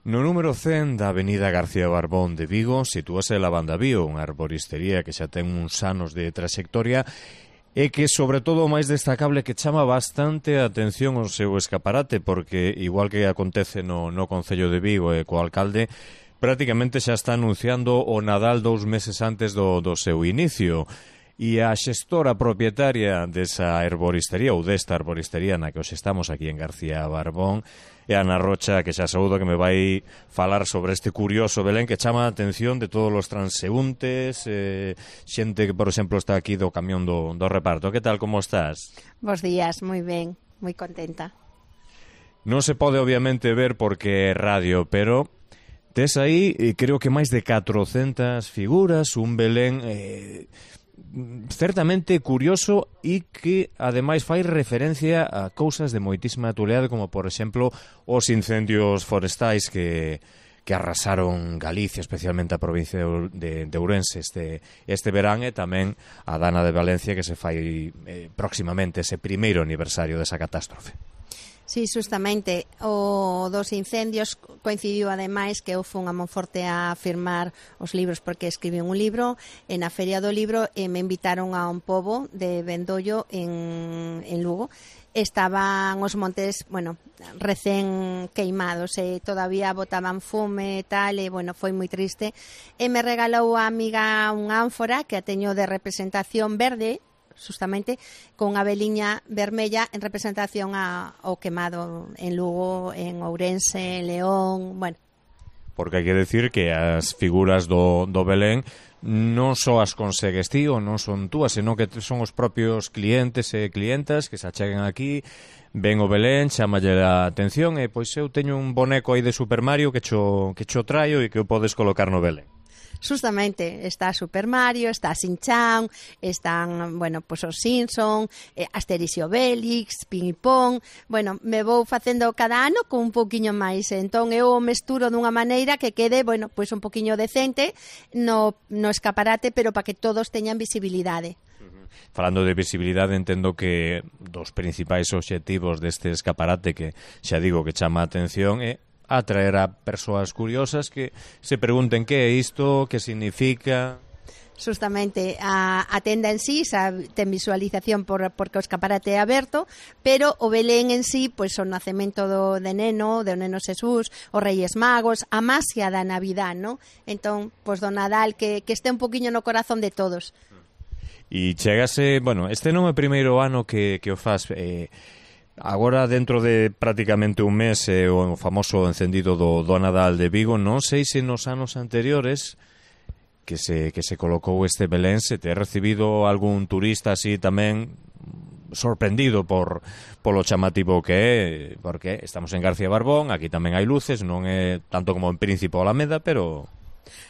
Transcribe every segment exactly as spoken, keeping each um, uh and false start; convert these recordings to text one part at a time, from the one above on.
No número cen da avenida García Barbón de Vigo sitúase a Lavanda Bio, unha arboristería que xa ten uns anos de traxectoria e que, sobre todo, o máis destacable que chama bastante a atención o seu escaparate, porque, igual que acontece no, no Concello de Vigo e co alcalde, prácticamente xa está anunciando o Nadal dous meses antes do, do seu inicio. E a xestora propietaria desa arboristería, ou desta arboristería na que os estamos aquí en García Barbón, é Ana Rocha, que xa saúdo, que me vai falar sobre este curioso Belén que chama a atención de todos os transeúntes, eh, xente que, por exemplo, está aquí do camión do, do reparto. Que tal, como estás? Bos días, moi ben, moi contenta. Non se pode, obviamente, ver porque é radio, pero tes aí, eh, creo que máis de catrocentas figuras, un Belén eh, certamente curioso e que ademais fai referencia a cousas de moitísima actualidade, como por exemplo os incendios forestais que, que arrasaron Galicia, especialmente a provincia de, de Ourense este, este verán, e tamén a Dana de Valencia, que se fai eh, próximamente ese primeiro aniversario desa catástrofe. Sí, justamente, o dos incendios coincidiu ademais que eu fun a Monforte a firmar os libros porque escribí un libro e na Feria do Libro e me invitaron a un pobo de Vendollo en, en Lugo. Estaban os montes, bueno, recén queimados e todavía botaban fume e tal, e, bueno, foi moi triste. E me regalou a amiga unha ánfora que a teño de representación verde, justamente con unha veliña vermella en representación a, ao quemado en Lugo, en Ourense, en León, bueno. Porque hai que decir que as figuras do, do Belén non só as consegues ti ou non son túas, senón que son os propios clientes e clientas que se achegan aquí, ven o Belén, chamalle a atención e pois eu teño un boneco aí de Super Mario que cho, que cho traio e que o podes colocar no Belén. Justamente, está Super Mario, está Shin-Chan, están, bueno, pues os Simpson, eh, Asterix e Obelix, Ping e Pong. Bueno, me vou facendo cada ano con un pouquiño máis, entón eu o mesturo dunha maneira que quede, bueno, pues un pouquiño decente no, no escaparate, pero para que todos teñan visibilidade. Falando de visibilidade, entendo que dos principais obxectivos deste escaparate, que xa digo que chama a atención, é atraer a persoas curiosas que se pregunten que é isto, que significa. Justamente, a, a tenda en sí xa ten visualización por, porque o escaparate é aberto, pero o Belén en sí, pois o nacemento do, de Neno, do Neno Xesús, os Reis Magos, a masia da Navidad, ¿no? Entón, pois do Nadal, que, que este un poquinho no corazón de todos. E chegase, bueno, este non é o primeiro ano que, que o faz, eh, agora, dentro de prácticamente un mes, eh, o famoso encendido do, do Nadal de Vigo, non sei se nos anos anteriores que se, que se colocou este Belén se te ha recibido algún turista así tamén sorprendido por polo chamativo que é, porque estamos en García Barbón, aquí tamén hai luces, non é tanto como en Príncipe ou Alameda, pero...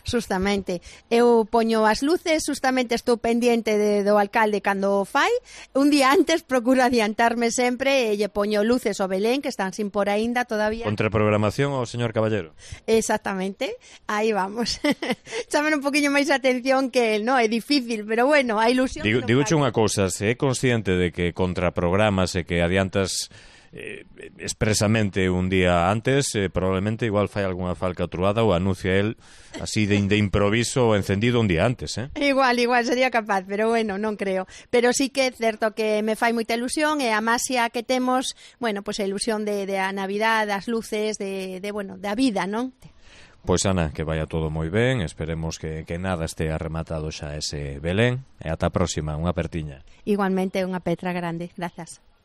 Justamente, eu poño as luces, justamente estou pendiente de, do alcalde cando o fai, un día antes procuro adiantarme sempre e lle poño luces ao Belén, que están sin por aínda todavía. Contraprogramación ao señor Caballero. Exactamente, aí vamos. Chamen un poquinho máis atención que el, no, é difícil, pero bueno, a ilusión... Digo, Digoche unha cousa, se é consciente de que contraprogramas e que adiantas eh, expresamente un día antes, eh, probablemente igual fai algunha falcatruada ou anuncia el así de, de improviso o encendido un día antes, eh? Igual, igual, sería capaz, pero bueno, non creo. Pero sí que é certo que me fai moita ilusión e a masia que temos, bueno, pois pues a ilusión de, de a Navidad, das luces, de, de bueno, da vida, non? Pois, Ana, que vaya todo moi ben, esperemos que, que nada estea rematado xa ese Belén, e ata a próxima, unha apertiña. Igualmente, unha petra grande, grazas.